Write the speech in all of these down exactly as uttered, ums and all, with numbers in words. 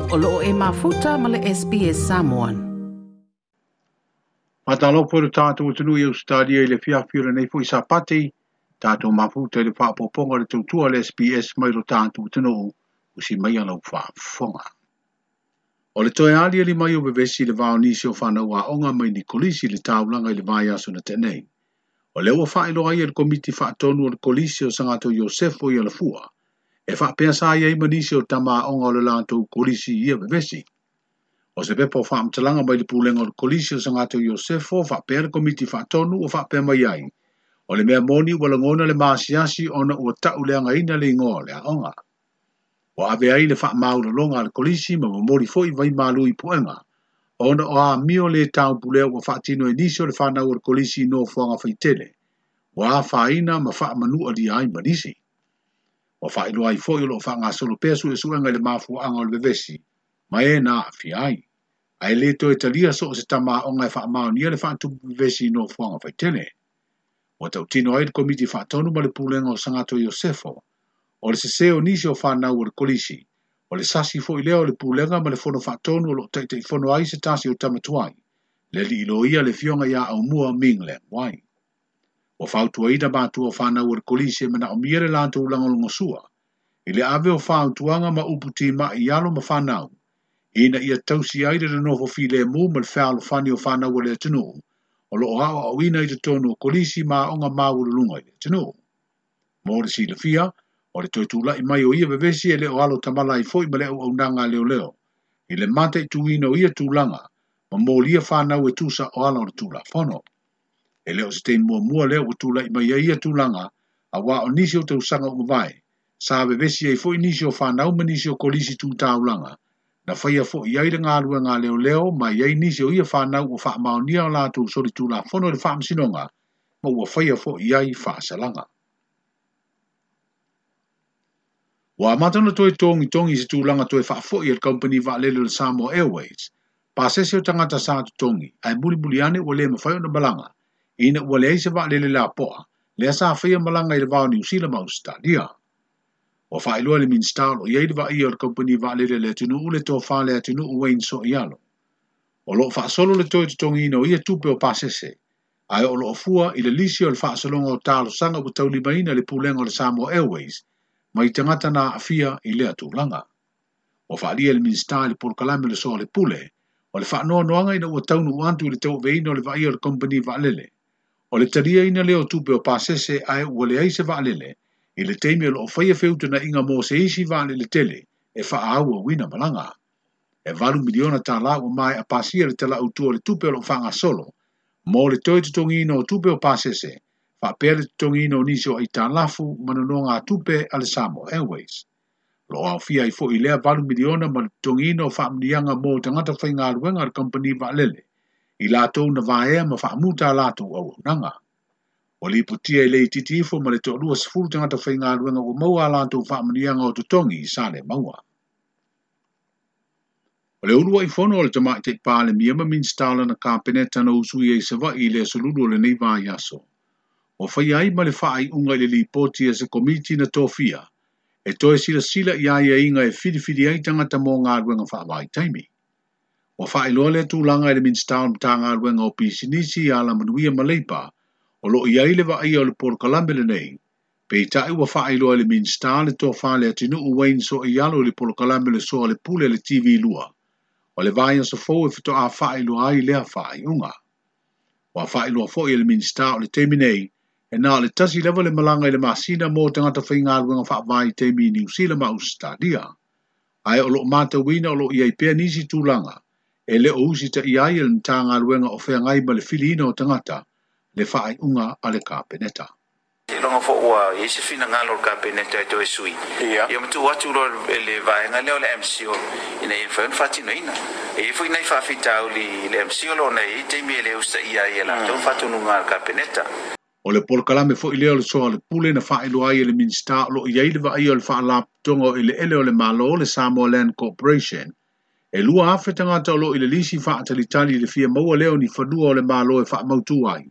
O loo e mafuta ma le S B S Samoan. Faatalofa i le tatou atunuu i Ausetalia i le fiafi o lenei foi Sapati, tatou mafuta i le faaopoopoga o le tautua a le S B S mai lo tatou atunuu, usi mai lau faafofoga. O le toe aliali mai o vevesi i le vao nisi o whanau aoga mai ni kolisi le taulaga i le vaiaso na tenei. O lea ua faailoa ai e le komiti faatonu o le kolisi o Sagato Iosefo i Alafua, e faapea sa i ai ma nisi o tama aoga o le latou kolisi i ia vevesi. O se pepa o faamatalaga mai le pulega o le kolisi o Sagato Iosefo faapea le komiti faatonu o faapea mai ai. O le mea moni ua lagona le maasiasi ona ua tauleagaina le igoa o le aoga. Ua ave ai le faamaulaloga a le kolisi ma momoli foi vai malu i puega. Ona o amio le taupulea ua faatino e nisi o le whanau o le kolisi i nofoaga faitele. Ua afaina ma faamanua ai ma nisi. Ua faailoa ai foi o loo faagasolo pea suesuega i le mafuaaga o le vevesi, ma e na aafia ai. Ae le toe talia so o se tama aoga e faamaonia le faatupu vevesi i nofoaga faitele. Ua tautino ai le komiti faatonu ma le pulega o Sagato Iosefo, o le sese o nisi o whanau o le kolisi, o le sasi foi lea o le pulega ma le fono faatonu o loo taitaifono ai se tasi o tamatuai, le liiloia le fioga ia Aumua Ming Leng Wai. Ua fautuaina matua o whanau o le kolisi e manaomia le latou lagolagosua, i le ave o fautuaga ma upu timai i alo ma whanau, ina ia tausi ai le nofo filemu ma le fealofani o whanau o le atunuu, o loo aoaoina i totonu o kolisi ma aoga maualuluga i le atunuu. Mo le silafia, o le toe tula'i mai o ia vevesi e le o alo tamala ai foi ma le auaunaga a leoleo, i le mataituina o ia tulaga, ma molia whanau e tusa o ala o le Tulafono. E le o se taimi muamua lea ua tula'i mai ai ia tulaga, auā o nisi o tausaga ua mavae, sa vevesi ai foi nisi o whanau ma nisi o kolisi tu taulaga, na whaia foi ai le galuega a leoleo ma i ai nisi o ia whanau ua faamaonia o latou soli Tulafono i le faamasinoga, ma ua whaia foi ai faasalaga. Ua amata ona toe togitogi i se tulaga toe faafoi e le kamupani vaalele o le Samoa Airways, pasese o tagata sa totogi, ae mulimuli ane ua le mafai ona malaga, ina ua leai se vaalele lapoa, lea sa faia malaga i le vao Niu Sila ma Ausetalia. Ua faailoa le Minisita o loo i ai le vaaia o le kamupani vaalele a le atunuu le tofa le atunuu Wayne Soialo. O loo faasolo le toe totogiina o ia tupe o pasese, ae o loo fua i le lisi o le faasologa o talosaga ua taulimaina le pulega o le Samoa Airways, mai tagata na aafia i lea tulaga. Ua faaalia le Minisita i le polokalame o le Soa le Pule, o le faanoanoaga ina ua taunuu atu i le tauaveina o le vaaia o le kamupani vaalele. O le taliaina lea o tupe o pasese ae ua leai se vaalele, i le taimi o loo faia feutanaiga mo se isi vaalele tele e faaauauina malaga. E valu miliona tālā ua maea pasia le tala autu o le tupe o loo faagasolo, mo le toe totogiina o tupe o pasese, faapea le totogiina o nisi o aitalafu ma nonoga tupe a le Samoa Airways. Lo aofia ai foi lea valu miliona ma le totogiina o faamuniaga mo tagata faigaluega a le kamupani vaalele, i latou na vaea ma faamuta a latou auaunaga. Ua lipotia i le itiiti ifo ma le toalua sefulu tagata faigaluega ua maua a latou faamuniaga o totogi i Salemaua. O le uluai fono o le tamaitai Palemia ma Minisita o lana Kapeneta na usuia i Savaii i le aso Lulu o lenei vaiaso. Ua faia ai ma le faaiuga i le lipoti a se komiti na tofia, e toe silasila i aiaiga e filifili ai tagata mo galuega faavaitaimi. Ua faailoa lea tulaga i le Minisita o le Matagaluega o Pisinisi, Alamanuia ma Leipa, o loo i ai le vaaia o le polokalame lenei. Peitai ua faailoa e le Minisita le tofa le atunuu Wayne Soialo i le polokalame le Soa le Pule le T V lua. O le vaiaso fou e faatoa faailoa ai lea faaiuga. Ua faailoa foi e le Minisita o le taimi nei, e na o le tasi lava le malaga i le masina mo tagata faigaluega faavaitaimi i Niu Sila ma Ausetalia. Ae o loo matauina o loo i ai pea nisi tulaga, e le o usitaia ai e le Matagaluega o feagai ma le filiina o tagata, le faaiuga a le Kapeneta. Longa fo ua i se finagalo o le Kapeneta e toe sui. Ia. Ia matu atu loa le, le vaega lea o le M C O ina ia mafai ona faatinoina. E i ai foi nai faafitauli i le M C O lona e i ai taimi e le usitaia ai e latou faatonuga a le Kapeneta. O le polokalame foi lea o le Soa le Pule na faailoa ai e le Minisita o loo i ai le vaaia o le faalapotopotoga o eleele o le Malo le Samoa Land Corporation. E lua afe tagata o loo i le lisi faatalitali i le fia maua lea o ni fanua o le Malo e faamautu ai,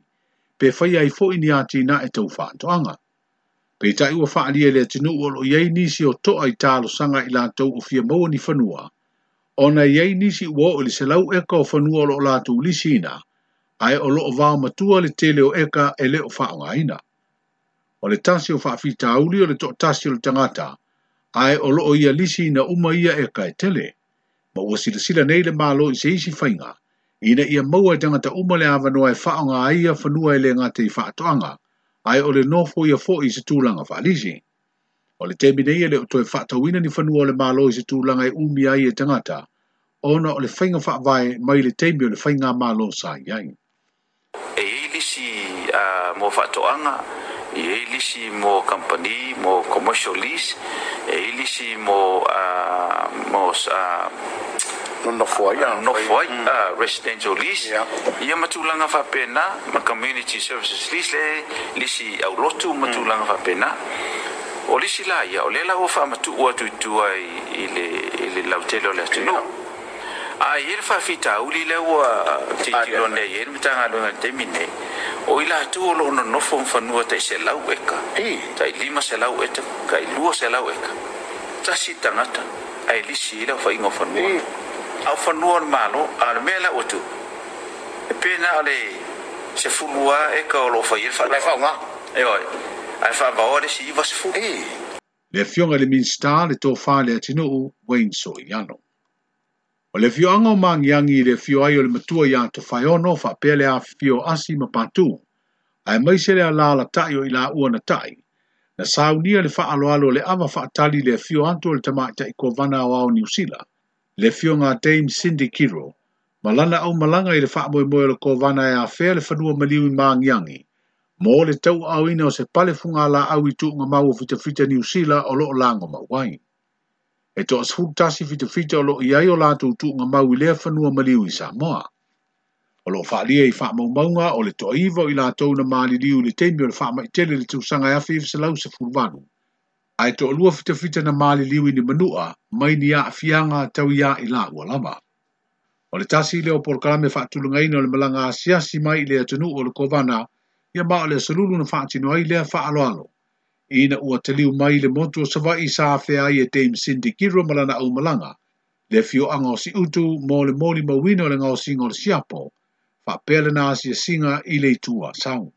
pe faia ai foi ni atinae tau faatoaga. Peitai ua faaalia e le atunuu o loo i ai nisi o toa i talosaga i latou o fia maua ni fanua, Ona i ai nisi ua oo i le selau eka o fanua o loo latou lisiina, ae o loo vao matua le tele o eka e le o faaaogaina. O le tasi o faafitauli o le toatasi o le tagata, ae o loo ia lisiina uma ia eka e tele. Ma ua silasila nei le Malo i se isi faiga, ina ia maua e tagata uma le avanoa e faaaoga ai ia fanua e le gata i faatoaga, ae o le nofo ia foi i se tulaga faalisi. O le taimi nei e le o toe faatauina ni fanua o le Malo i se tulaga e umi ai e tagata, ona o le faiga faavae mai le taimi o le faiga malo sa i ai. E i ai lisi mo faatoaga, e i ai lisi mo company, mo commercial lease, e i ai lisi mo mo nofo ai nofo ai residential lease, ia ma tulaga faapena, ma community services lease, le lisi aulotu ma tulaga faapena. O lisi la ia, o lea la ua faamatuu atu i tua i le i le lautele o le atunuu. A i ai le faafitauli lea ua tilotilo nei ai le Matagaluega i le taimi nei, o i latou o loo nonofo ma fanua tai selau eka, tai lima selau eka, tai lua selau eka. Tasi tagata ae lisi ai le aofaiga o fanua. A o fanua o le Malo, a o le mea la ua tupu, e pe na o le sefulu lava eka o loo fai ai le faatoaga. Ioe, ae faavaoa le isi iva sefulu. Le afioga i le Minisita le tofa i le atunuu Wayne Soiano. O le afioaga o Magiagi i le afio ai o le matua ia Tofaeono faapea le afifio o Asi ma Patu, aemaise le alalatai o i laua na tai, na saunia le faaaloalo o le ava faatali le afio atu o le tamaitai kovana aoao Niu Sila, le afioga a Dame Cindy Kiro, ma lana aumalaga i le faamoemoe o le kovana e afea le fanua maliu i Magiagi, mo le tauaaoina o se pale fugalaau i tuugamau o fitafita Niu Sila o loo lago mau ai. E toasefulu tasi fitafita o loo i ai o latou tuugamau i lea fanua maliu i Samoa. O loo faalia i faamaumauga o le toaiva o i latou na maliliu i le taimi o le faamaitele i le tausaga e afe iva selau sefulu valu. Ae toalua fitafita na maliliu i ni manua mai ni aafiaga tau ia i laua lava. O le tasi lea o polokalame faatulagaina o le malaga asiasi mai i le atunuu o le kovana, ia ma o le aso lulu na faatino ai lea faaaloalo. Ina ua taliu mai le motu o Savaii sa afea ai e Dame Cindy Kiro ma lana aumalaga, le afioaga o Siutu mo le molimauina o le gaosiga o le siapo, faapea lana asiasiga i le itu Asau.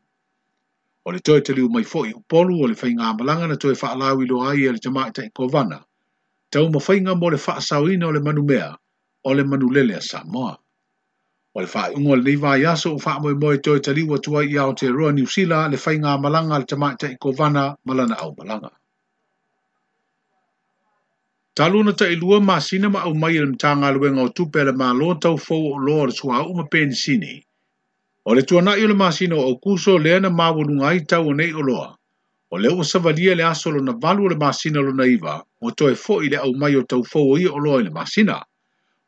O le toe taliu mai foi Upolu o le faigamalaga na toe faalauiloa ai e le tamaitai kovana, taumafaiga mo le faasaoina o le manumea o le manulele a Samoa. O le faaiuga o lenei vaiaso ua faamoemoe toe taliu atu ai i Aotearoa Niu Sila le faigamalaga a le tamaitai kovana ma lana aumalaga. Talu ona tailua masina ma aumai e le Matagaluega o Tupe a le Malo taufou o oloa o le suauu ma penisini. O le tuanai o le masina o Aukuso lea na maualuga ai tau o nei oloa. O lea ua savalia le aso lona valu o le masina lona iva, ua toe foi le aumai o taufou o ia oloa i le masina.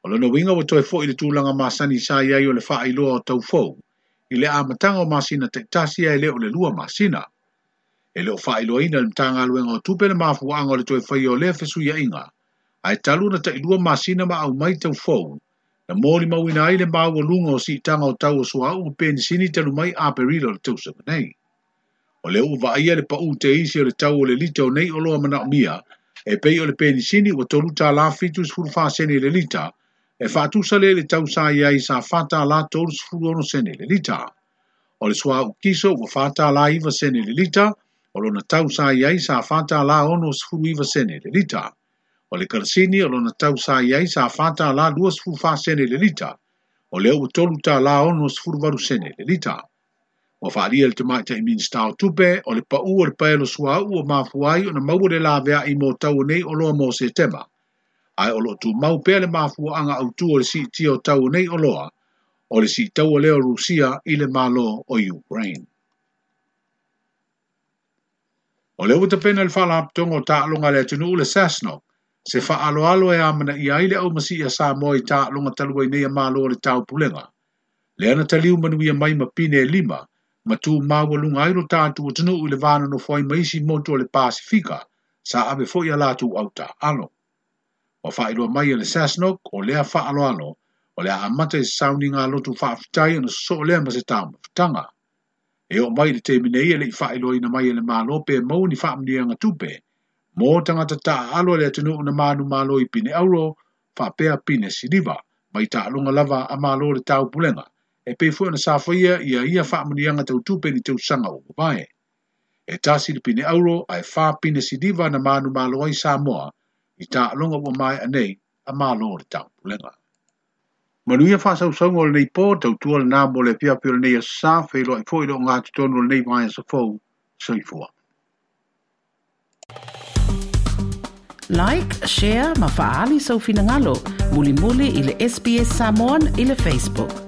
O lona uiga ua toe foi le tulaga masani sa i ai o le faailoa o taufou, i le amataga o masina taitasi ae le o le lua masina. E le o faailoaina e le Matagaluega o Tupe le mafuaaga o le toe faia o lea fesuiaiga, ae talu ona tailua masina ma aumai taufou, na molimauina ai le maualuga o siitaga o tau o suauu ma penisini talu mai Aperila o le tausaga nei. O lea ua vaaia le pau teisi o le tau o le lita o nei oloa manaomia, e pei o le penisini ua tolu tala fitu sefulu fa sene le lita, e faatusa lea i le tau sa i ai sa fa tala tolu sefulu ono sene le lita. O le suauu kiso ua fa tala iva sene le lita, o lona tau sa i ai sa fa tala ono sefulu iva sene le lita. O le karasini o lona tau sa i ai sa fa tala lua sefulu fa sene le lita, o lea ua tolu tala ono sefulu valu sene le lita. Ua faalia le tamaitai Minisita o Tupe o le pau o le paelo suauu o mafua ai ona maua le laveai mo tau o nei oloa mo Setema. Ae o loo tumau pea le mafuaaga autu o le siitia o tau o nei oloa, o le siitaua lea o Rusia i le Malo o Ukraine. O lea ua tapena le faalapotopotoga o taaloga a le atunuu le SASNOC, se faaaloalo e amanaia ai le aumasii a Samoa i taaloga talu ai nei a Malo o le Taupulega. Lea na taliu manuia mai ma pine e lima, ma tu maualuga ai lo tatou atunuu i le va nonofo ai ma isi motu o le Pasifika, sa ave foi a latou autaaalo. Ua faailoa mai e le SASNOC o lea faaaloalo, o le a amata i se sauniga lotu faafetai ona sosoo lea ma se taumafataga. E oo mai i le taimi nei e le i faailoaina mai e le Malo pe maua ni faamanuiaga tupe, mo tagata taaalo a le atunuu na manumalo i pine auro Faapea pine siliva, mai taaloga lava a Malo o le Taupulega, e pei foi ona sa faia ia ia faamanuiaga tautupe ni tausaga ua mavae. E tasi le pine auro ae fa pine siliva na manumalo ai Samoa i taaloga ua maea nei a Malo o le Taupulega. Manuia faasausauga o lenei po, tautua lena mo le afiafi o lenei aso Sa, feiloai foi le ogatotonu o lenei vaiaso fou. Soifua. Like, share ma faaali sou finagalo. Mulimuli i le S B S Samoan i le Facebook.